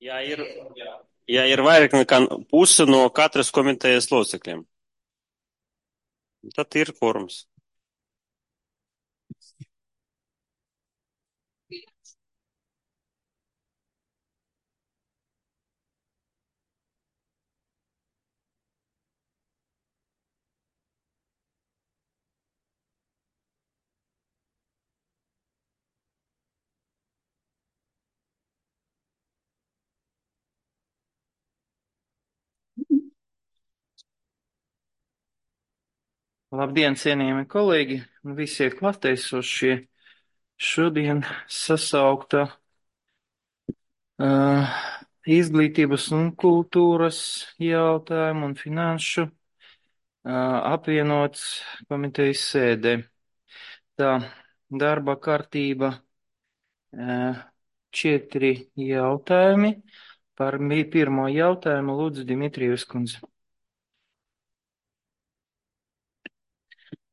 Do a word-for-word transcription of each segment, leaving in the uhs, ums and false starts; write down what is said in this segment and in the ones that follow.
Ja ir, ja ir vairāk nekā puse no katras komitejas locekļiem, tad ir kvorums. Labdien, cienījami kolēģi un visi klātesošie. Šodien sasaukta uh, izglītības un kultūras jautājumu un finanšu uh, apvienots komitejas sēde. Tā darba kārtība uh, četri jautājumi. Par pirmo jautājumu lūdzu Dimitrijus kundze.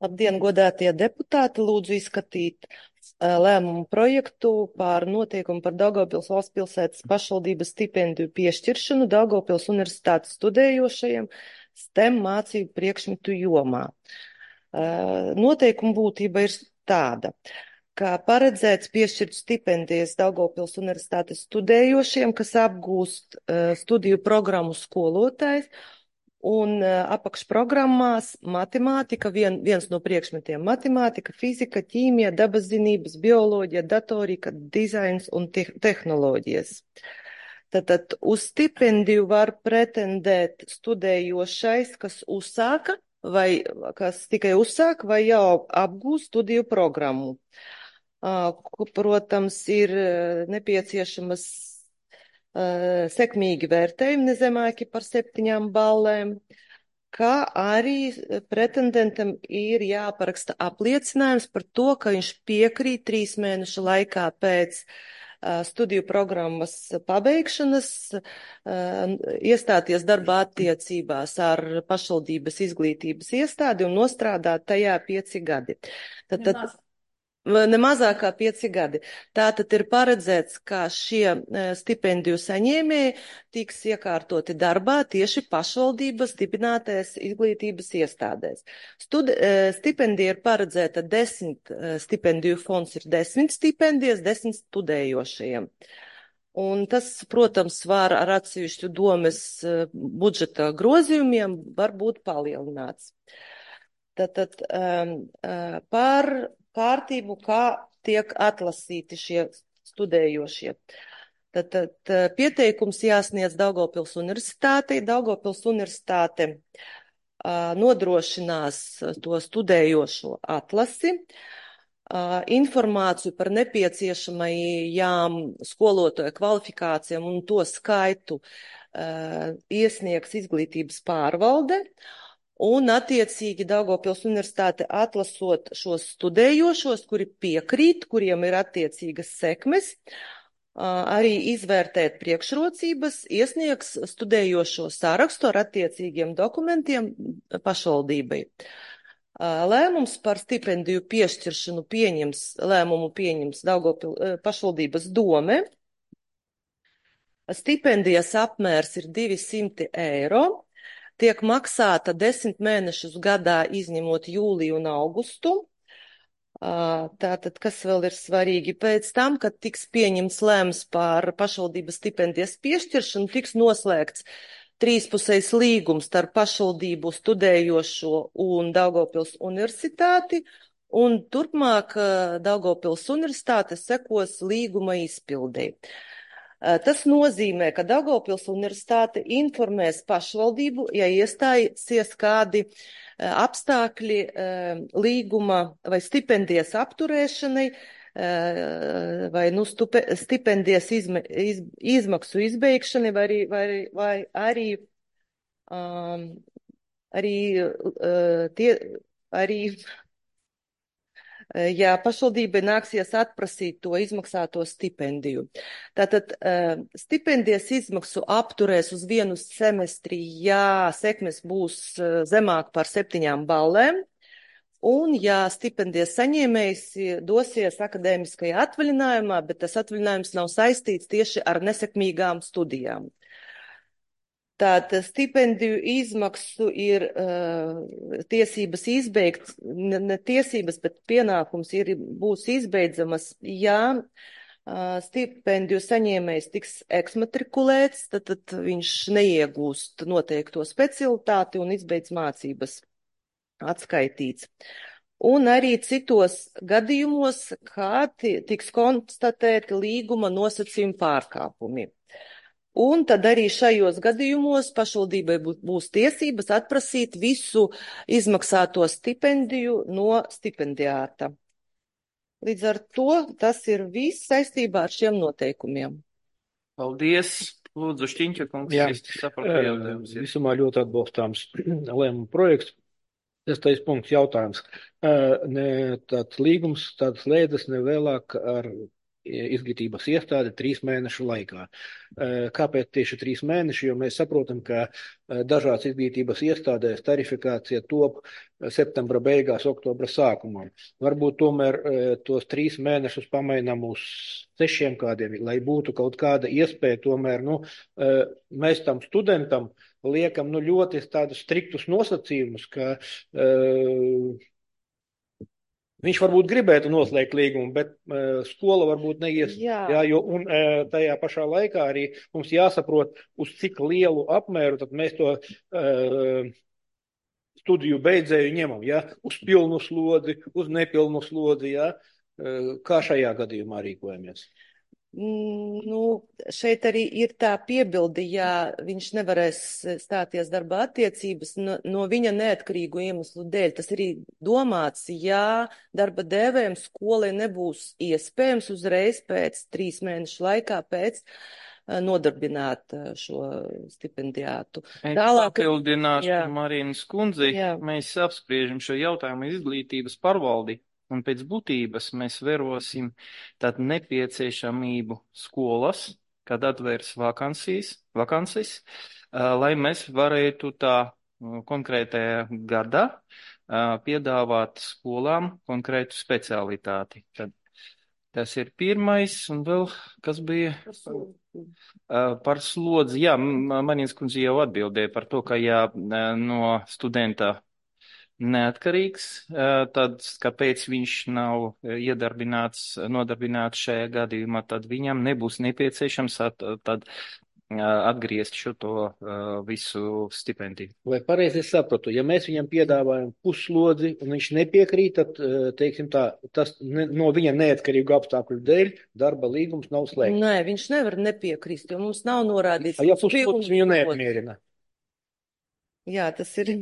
Labdien, godātie deputāti, lūdzu izskatīt uh, lēmumu projektu par notiekumu par Daugavpils valsts pilsētas pašvaldības stipendiju piešķiršanu Daugavpils universitātes studējošajiem STEM mācību priekšmetu jomā. Uh, noteikuma būtība ir tāda, ka paredzēts piešķirt stipendijas Daugavpils universitātes studējošiem, kas apgūst uh, studiju programmu skolotājs. Un uh, apakšprogrammās matemātika, vien, viens no priekšmetiem matemātika, fizika, ķīmija, dabaszinības, bioloģija, datorika, dizains un te tehnoloģijas. Tātad uz stipendiju var pretendēt studējošais, kas uzsāka vai kas tikai uzsāka vai jau apgūst studiju programmu. Uh, protams, ir nepieciešamas Uh, sekmīgi vērtējumi nezemāki par septiņām ballēm, kā arī pretendentam ir jāparaksta apliecinājums par to, ka viņš piekrīt trīs mēnešu laikā pēc uh, studiju programmas pabeigšanas uh, iestāties darbā attiecībās ar pašvaldības izglītības iestādi un nostrādāt tajā pieci gadi. Tad, tad, Ne mazāk kā pieci gadi. Tātad ir paredzēts, ka šie stipendiju saņēmēji tiks iekārtoti darbā tieši pašvaldības dibinātais izglītības iestādēs. Stud, stipendija ir paredzēta desmit, stipendiju fonds ir desmit stipendijas, desmit studējošajiem. Un tas, protams, var ar atsevišķu domes budžeta grozījumiem var būt palielināts. Tātad um, par kārtību, kā tiek atlasīti šie studējošie. Tad, tad pieteikums jāsniedz Daugavpils universitātei. Daugavpils universitāte uh, nodrošinās to studējošo atlasi, uh, informāciju par nepieciešamajām skolotāju kvalifikācijām un to skaitu uh, iesniegs izglītības pārvalde. Un attiecīgi Daugavpils universitāte atlasot šos studējošos, kuri piekrīt, kuriem ir attiecīgas sekmes, arī izvērtēt priekšrocības, iesniegs studējošo sarakstu ar attiecīgiem dokumentiem pašvaldībai. Lēmums par stipendiju piešķiršanu pieņems, lēmumu pieņems Daugavpils pašvaldības dome. Stipendijas apmērs ir divi simti eiro. Tiek maksāta desmit mēnešus gadā, izņemot jūliju un augustu. Tātad, kas vēl ir svarīgi, pēc tam, kad tiks pieņemts lēmums par pašvaldības stipendijas piešķiršanu, tiks noslēgts trīspusējs līgums starp pašvaldību studējošo un Daugavpils universitāti, un turpmāk Daugavpils universitāte sekos līguma izpildei. Tas nozīmē, ka Daugavpils universitāte informēs pašvaldību, ja iestāsies kādi apstākļi līguma vai stipendijas apturēšanai vai nu, stupe, stipendijas izme, iz, izmaksu izbeigšanai vai, vai, vai arī, um, arī, uh, tie, arī ja pašvaldībai nāksies atprasīt to izmaksāto stipendiju. Tātad stipendijas izmaksu apturēs uz vienu semestri, ja sekmes būs zemāk par septiņām ballēm. Un, ja stipendijas saņēmējs dosies akadēmiskajā atvaļinājumā, bet tas atvaļinājums nav saistīts tieši ar nesekmīgām studijām. Tātad stipendiju izmaksu ir uh, tiesības izbeigt, ne, ne tiesības, bet pienākums ir, būs izbeidzamas, ja uh, stipendiju saņēmējs tiks eksmatrikulēts, tad, tad viņš neiegūst noteikto specialitāti un izbeidz mācības atskaitīts. Un arī citos gadījumos, kā tiks konstatēti līguma nosacījumi pārkāpumi. Un tad arī šajos gadījumos pašvaldībai būs tiesības atprasīt visu izmaksāto stipendiju no stipendiāta. Līdz ar to tas ir viss saistībā ar šiem noteikumiem. Paldies! Lūdzu, Šķiņķa kungs, Jā, es sapratu, jautājums. Visumā ļoti atbalstāms lēmuma projekts. Sestais punkts jautājums. Ne, tāds līgums, tāds slēdzas nevēlāk ar izglītības iestādi trīs mēnešu laikā. Kāpēc tieši trīs mēneši? Jo mēs saprotam, ka dažās izglītības iestādēs tarifikācija top septembra beigās, oktobra sākumā. Varbūt tomēr tos trīs mēnešus pamainām uz sešiem kādiem, lai būtu kaut kāda iespēja tomēr, nu, mēs tam studentam liekam, nu, ļoti tādus striktus nosacījumus, ka uh, viņš varbūt gribētu noslēgt līgumu, bet uh, skola varbūt neies. Jā. Jā, jo, un uh, tajā pašā laikā arī mums jāsaprot, uz cik lielu apmēru tad mēs to uh, studiju beidzēju ņemam. Jā? Uz pilnu slodzi, uz nepilnu slodzi. Jā? Uh, kā šajā gadījumā rīkojamies? Nu, šeit arī ir tā piebildi, ja viņš nevarēs stāties darba attiecības no, no viņa neatkarīgu iemeslu dēļ. Tas arī domāts, ja darba devēm skolai nebūs iespējams uzreiz pēc trīs mēnešu laikā pēc nodarbināt šo stipendiātu. Tālāk, papildināšu Marīnas kundzi, jā. Mēs apspriežam šo jautājumu izglītības pārvaldi. Un pēc būtības mēs vērosim tādu nepieciešamību skolas, kad atvērs vakansijas, vakansijas, lai mēs varētu tā konkrētajā gadā piedāvāt skolām konkrētu specialitāti. Tad tas ir pirmais, un vēl, kas bija par slodzi. Jā, Marīnas kundze jau atbildēja par to, ka jā, no studenta neatkarīgs, tad kāpēc viņš nav iedarbināts, nodarbināts šajā gadījumā, tad viņam nebūs nepieciešams at, tad atgriezt šo to visu stipendiju. Vai pareizi es sapratu, ja mēs viņam piedāvājam puslodzi un viņš nepiekrīt, tad, teiksim tā, tas ne, no viņa neatkarīgu apstākļu dēļ darba līgums nav slēgts? Nē, viņš nevar nepiekrist, jo mums nav norādīts. Ja puslodzi viņu neapmierina? Jā, tas ir...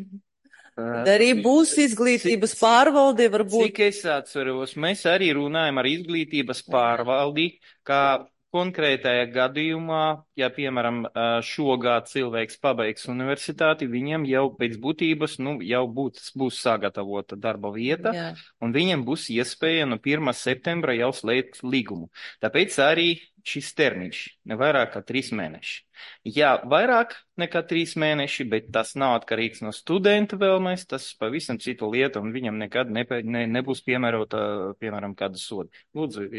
Arī būs izglītības cik, pārvalde, varbūt. Cik es atceros, mēs arī runājam ar izglītības pārvaldi, kā konkrētajā gadījumā, ja, piemēram, šogad cilvēks pabeigs universitāti, viņam jau pēc būtības, nu, jau būs, būs sagatavota darba vieta, jā. Un viņam būs iespēja no pirmā septembra jau slēgt līgumu. Tāpēc arī šis termiņš, ne vairāk kā trīs mēneši. Jā, vairāk nekā trīs mēneši, bet tas nav atkarīgs no studenta vēlmēs, tas pavisam citu lietu, un viņam nekad ne, ne, nebūs piemērota, piemēram, kāda soda. Lūdzu.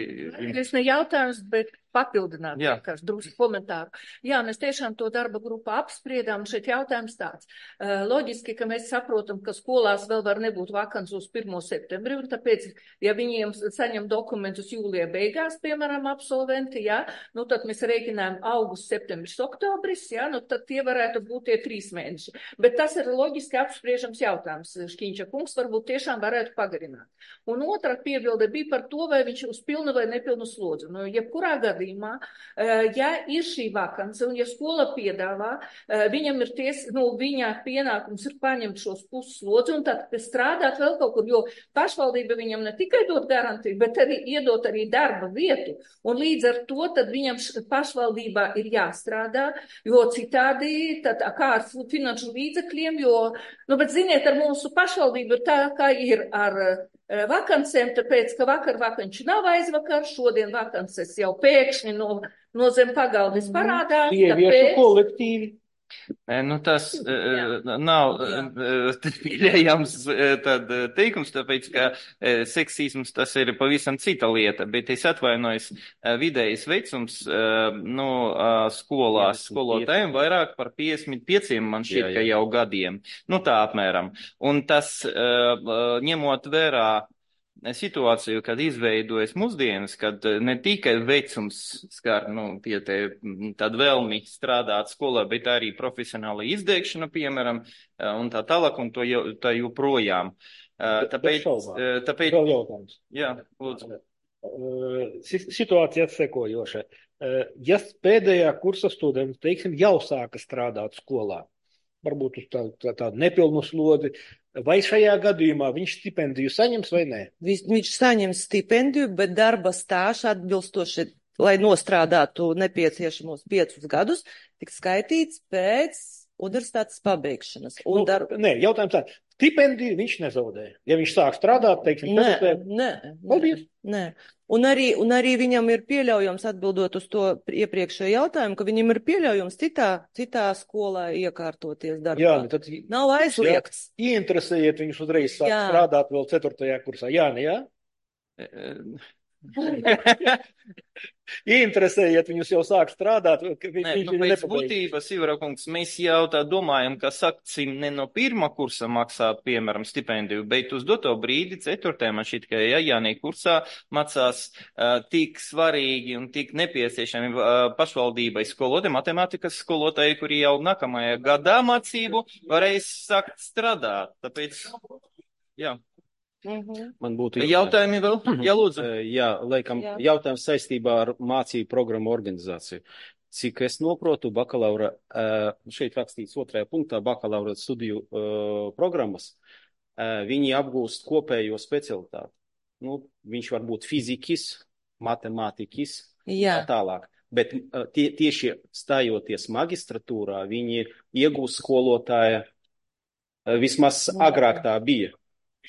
Es ne jautājums, bet papildināt vienkārši drusku komentāru. Jā, mēs tiešām to darba grupā apspriedām, šeit jautājums tāds. Uh, loģiski, ka mēs saprotam, ka skolās vēl var nebūt vakants uz pirmo septembri, un tāpēc, ja viņiem saņem dokumentus jūlijā beigās, piemēram, absolventi, jā, nu tad mēs rēķinājam augusts, septembris, oktobris, jā, nu tad tie varētu būt tie trīs mēneši. Bet tas ir loģiski apspriežams jautājums. Šķiņķa kungs varbūt tiešām varētu pagarināt. Un otra piebilde bija par to, vai viņš uz pilnu vai nepilnu slodzi. Nu, jebkurā gadījumā, ja ir šī vakance un ja skola piedāvā, viņam ir ties, nu, viņa pienākums ir paņemt šos pusslodzi un tad strādāt vēl kaut kur, jo pašvaldība viņam ne tikai dot garantiju, bet arī iedot arī darba vietu. Un līdz ar to tad viņam pašvaldībā ir jāstrādā, jo citādi, tad kā ar finanšu līdzekļiem, jo, nu, bet ziniet, ar mūsu pašvaldību ir tā, kā ir ar vakancēm, tāpēc, ka vakar vakanči nav aizvakar, šodien vakances jau pēkšņi no, no zem pagaldes parādās. Sieviešu kolektīvi. Nu, tas uh, nav uh, pieļaujams tad teikums, tāpēc, ka uh, seksisms tas ir pavisam cita lieta, bet es atvainojos, uh, vidējais vecums, uh, nu, uh, skolās skolotājiem vairāk par piecdesmit pieciem man šķiet, jā, jā. Ka jau gadiem. Nu, tā apmēram. Un tas, uh, ņemot vērā situāciju, kad izveidojas mūsdienas, kad ne tikai vecums skar, nu, tie te tād vēlmi strādāt skolā, bet arī profesionāla izdēkšana, piemēram, un tā tālāk, un to jau, tā joprojām. Tāpēc, tāpēc... Vēl jautājums. Jā, lūdzu. Situācija atsekojoša. Ja pēdējā kursa students, teiksim, jau sāka strādāt skolā, varbūt uz tādu tā, tā nepilnu slodzi, vai šajā gadījumā viņš stipendiju saņems vai nē? Viņš, viņš saņems stipendiju, bet darba stāžs atbilstoši, lai nostrādātu nepieciešamos piecus gadus, tik skaitīts pēc universitātes pabeigšanas. Un nu, dar... Nē, jautājums tā. Stipendiju viņš nezaudē. Ja viņš sāk strādāt, teiksim, nē, pēc... nē, nē, nē. Un arī, un arī viņam ir pieļaujams, atbildot uz to iepriekšējo jautājumu, ka viņam ir pieļaujams citā, citā skolā iekārtoties darbā. Jā, tad nav aizliegts. Jā, ieinteresējiet viņus uzreiz sāk jā. Strādāt vēl ceturtajā kursā. Jā, ne, jā? Ieinteresējiet viņus jau sāk strādāt. Viņš, Nē, nu, pēc būtības, Ivarakungs, mēs jau tā domājam, ka saksim ne no pirmā kursa maksāt, piemēram, stipendiju, bet uz doto brīdi, ceturtajā, man šķiet, ka ja jānī kursā macās uh, tik svarīgi un tik nepieciešami uh, pašvaldībai skolotāji, matemātikas skolotāji, kuri jau nākamajā gadā mācību varēs sākt strādāt. Tāpēc, jā. Mm-hmm. Man būtu jautājumi vēl? Jā, lūdzu. Jā, laikam, Jā. Jautājums saistībā ar mācību programmu organizāciju. Cik es noprotu, bakalaura, šeit rakstīts otrajā punktā, bakalaura studiju programmas, viņi apgūst kopējo specialitāti. Nu, viņš var būt fizikis, matemātikis, Jā. Tā tālāk. Bet tie, tieši stājoties magistratūrā, viņi iegūst skolotāja, vismaz Jā. Agrāk tā bija.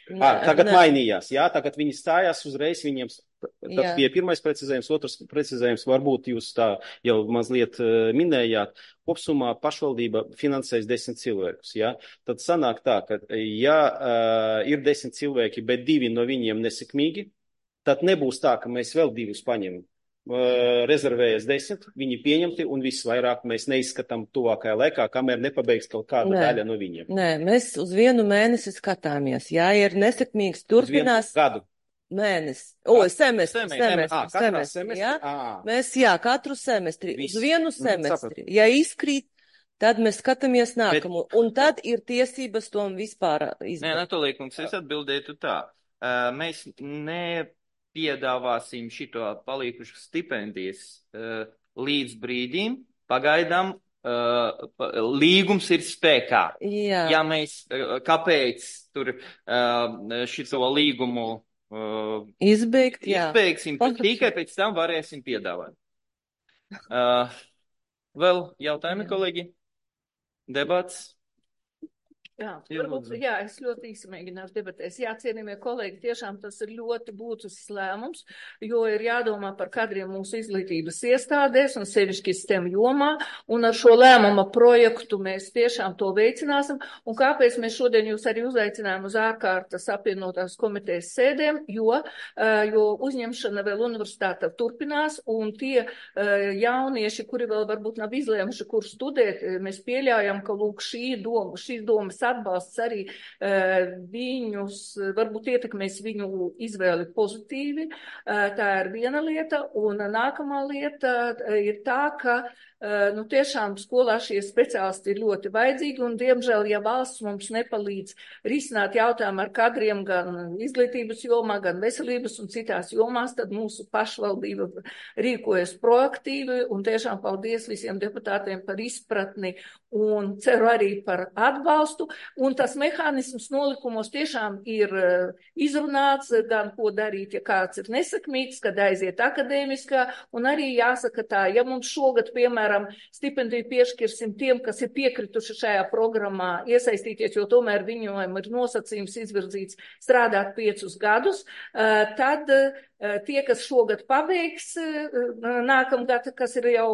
Nē, à, tagad nē. Mainījās, jā, tagad viņi stājās uzreiz, viņiem tas bija pirmais precizējums, otrs precizējums, varbūt jūs tā jau mazliet uh, minējāt, kopsumā pašvaldība finansēs desmit cilvēkus, jā, tad sanāk tā, ka ja uh, ir desmit cilvēki, bet divi no viņiem nesekmīgi, tad nebūs tā, ka mēs vēl divus paņemam. Uh, rezervējas desmit, viņi pieņemti un viss vairāk mēs neizskatām tuvākajā laikā, kamēr nepabeigs kaut kāda Nē. Daļa no viņiem. Nē, mēs uz vienu mēnesi skatāmies. Jā, ir nesekmīgs, turpinās. Gadu. Mēnesi. O, semestri. Semestri. semestri, à, semestri, semestri jā. À. Mēs, jā, katru semestri. Viss. Uz vienu semestri. Mm, ja izkrīt, tad mēs skatāmies nākamo. Bet... Un tad ir tiesības tom vispār izdarīt. Nē, Natolīkungs, es atbildētu tā. Uh, mēs ne... piedāvāsim šito palīkušu stipendijas uh, līdz brīdim, pagaidām uh, līgums ir spēkā. Jā. Ja mēs, uh, kāpēc tur uh, šito līgumu uh, Izbeigt, jā. izbeigsim, tikai pēc tam varēsim piedāvāt. Uh, vēl jautājumi, kolēģi? Debats? Jā, varbūt, jā, es ļoti īsi mēģināšu debatēs. Jā, cienījamie kolēģi, tiešām tas ir ļoti būtisks lēmums, jo ir jādomā par kadriem mūsu izglītības iestādēs un sevišķi STEM jomā, un ar šo lēmuma projektu mēs tiešām to veicināsim. Un kāpēc mēs šodien jūs arī uzaicinājām uz ārkārtas apvienotās komitejas sēdēm, jo, jo uzņemšana vēl universitāte turpinās, un tie jaunieši, kuri vēl varbūt nav izlēmuši, kur studēt, mēs pieļaujam, ka lūk šī doma, šīs domas atbalsts arī uh, viņus, varbūt ietekmēs viņu izvēli pozitīvi. Uh, tā ir viena lieta, un nākamā lieta uh, ir tā, ka uh, nu, tiešām skolā šie speciālisti ir ļoti vajadzīgi, un diemžēl, ja valsts mums nepalīdz risināt jautājumu ar kadriem gan izglītības jomā, gan veselības un citās jomās, tad mūsu pašvaldība rīkojas proaktīvi, un tiešām paldies visiem deputātiem par izpratni, un ceru arī par atbalstu. Un tas mehānisms nolikumos tiešām ir izrunāts, gan ko darīt, ja kāds ir nesakmīgs, kad aiziet akadēmiskā, un arī jāsaka tā, ja mums šogad, piemēram, stipendiju piešķirsim tiem, kas ir piekrituši šajā programmā iesaistīties, jo tomēr viņiem ir nosacījums izvirzīts strādāt piecus gadus, tad tie, kas šogad pabeigs nākamgad, kas ir jau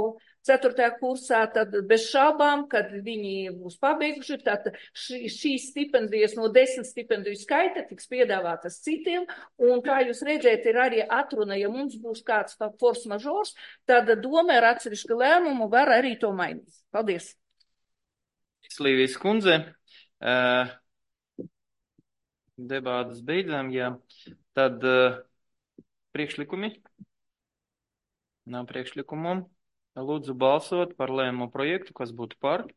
ceturtajā kursā, tad bez šaubām, kad viņi būs pabeiguši, tad šī, šīs stipendijas no desmit stipendiju skaita tiks piedāvātas citiem, un kā jūs redzēt, ir arī atruna, ja mums būs kāds force majeure, tad doma ar atsevišķu lēmumu var arī to mainīt. Paldies! Slīvijas kundze, uh, debātas beidzām, jā. Tad uh, priekšlikumi? Nav priekšlikumu. Lūdzu balsot par lēmumu projektu, kas būtu par.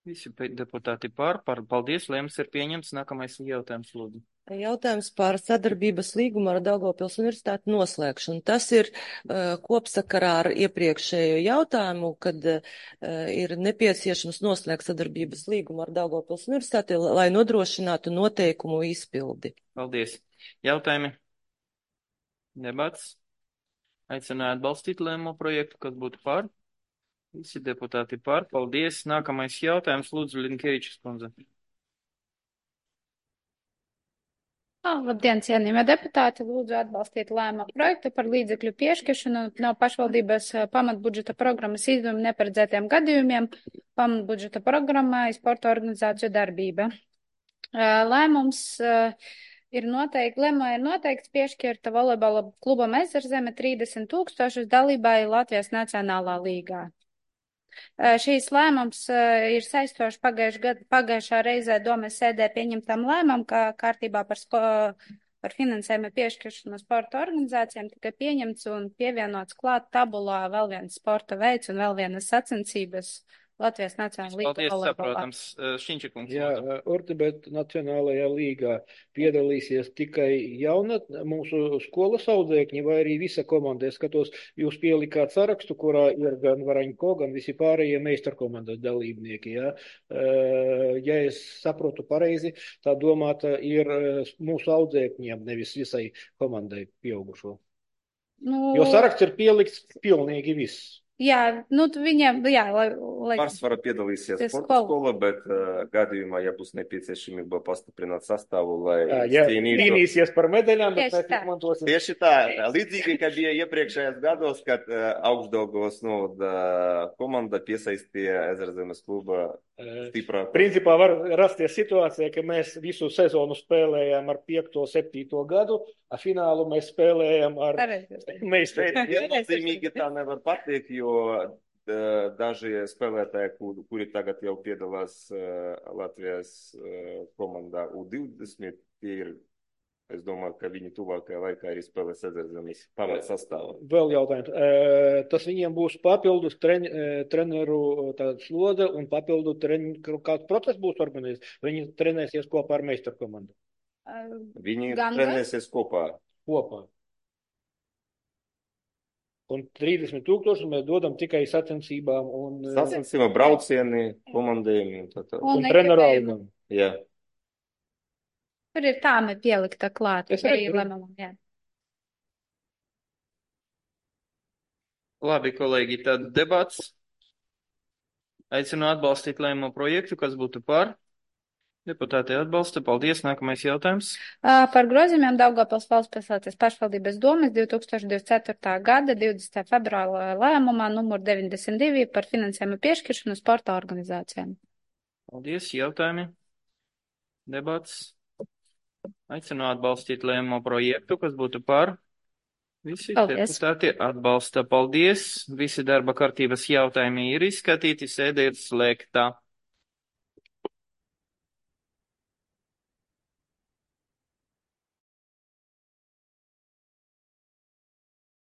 Visi deputāti par. par. Paldies, lēmums ir pieņemts. Nākamais jautājums, lūdzu. Jautājums par sadarbības līgumu ar Daugavpils Universitāti noslēgšanu. Tas ir uh, kopsakarā ar iepriekšējo jautājumu, kad uh, ir nepieciešams noslēgt sadarbības līgumu ar Daugavpils Universitāti, lai nodrošinātu noteikumu izpildi. Paldies. Jautājumi? Debats? Aicināju atbalstīt lēmumu projektu, kas būtu par. Visi deputāti par. Paldies. Nākamais jautājums, lūdzu, Linkevičs kundze. Labdien, cienījamie deputāti, lūdzu atbalstīt lēmumu projektu par līdzekļu piešķiršanu no pašvaldības pamatbudžeta programmas izdevuma neparedzētiem gadījumiem pamatbudžeta programmai sporta organizāciju darbība. Lēmums ir noteikti, lēmumā ir noteikts piešķirta volejbola klubam Ezerzeme trīsdesmit tūkstošus dalībai Latvijas Nacionālā līgā. Šīs lēmums ir saistoši pagājušā, pagājušā reizē domes sēdē pieņemtam lēmumam, kā kārtībā par, sko, par finansējumu piešķiršanu sporta organizācijām tika pieņemts un pievienots klāt tabulā vēl viens sporta veids un vēl vienas sacensības Latvijas Nacionālā līga. Paldies, saprotams. Šķiņčikungs. Jā, Ortibet Nacionālajā līgā piedalīsies tikai jauna mūsu skolas audzēkņi vai arī visa komanda. Es skatos, jūs pielikāt sarakstu, kurā ir gan Varaņko, gan visi pārējie meistarkomandas dalībnieki. Jā. Ja es saprotu pareizi, tā domāta ir mūsu audzēkņiem, nevis visai komandai pieaugušo. Nu... Jo saraksts ir pielikts pilnīgi viss. Jā, nu viņiem, jā, lai... lai... Pārsvarā piedalīsies sporta skola, bet uh, gadījumā, ja būs nepieciešamība pastiprināt sastāvu, lai jā, cīnītu... Cīnīsies par medaļām, bet mēs izmantosim. Tieši tā, līdzīgi, kā bija iepriekšējās gados, kad uh, Augšdaugavas novada komanda piesaistīja Ezerzemes kluba stiprāku. Principā var rasties situācija, ka mēs visu sezonu spēlējām ar piekto, septīto gadu, a finālu mēs spēlējām ar meistariem. Viennozīmīgi tā nevar pateikt, jo daži spēlētāji, kur, kuri tagad jau piedalās uh, Latvijas uh, komandā U divdesmit, tie ir, es domāju, ka viņi tuvākajā laikā arī spēlēs Ezerzemes pamat sastāvā. Vēl jautājums. E, tas viņiem būs papildus tren, e, treneru slodze un papildu tren, kāds process būs organizēts? Viņi trenēsies kopā ar meistarkomandu? Viņi Gan trenēsies kopā. Kopā. Un trīsdesmit tūkstoši mēs dodam tikai sacensībām un... Sacensībām, braucieni, komandējumi. Tā, tā. Un, un treneru algam. Jā. Tur ir tāme pielikta klāt. Es arī lēmumam, jā. Labi, kolēģi, tad debats. Aicinu atbalstīt lēmumu projektu, kas būtu par. Deputāti atbalsta. Paldies. Nākamais jautājums. Par grozījumiem Daugavpils valsts pilsētas pašvaldības domes divi tūkstoši divdesmit ceturtā gada divdesmitā februāra lēmumā numur deviņdesmit divi par finansējumu piešķiršanu sporta organizācijām. Paldies. Jautājumi. Debats. Aicinu atbalstīt lēmumu projektu, kas būtu par. Visi Paldies. Deputāti atbalsta. Paldies. Visi darba kārtības jautājumi ir izskatīti. Sēde ir slēgta.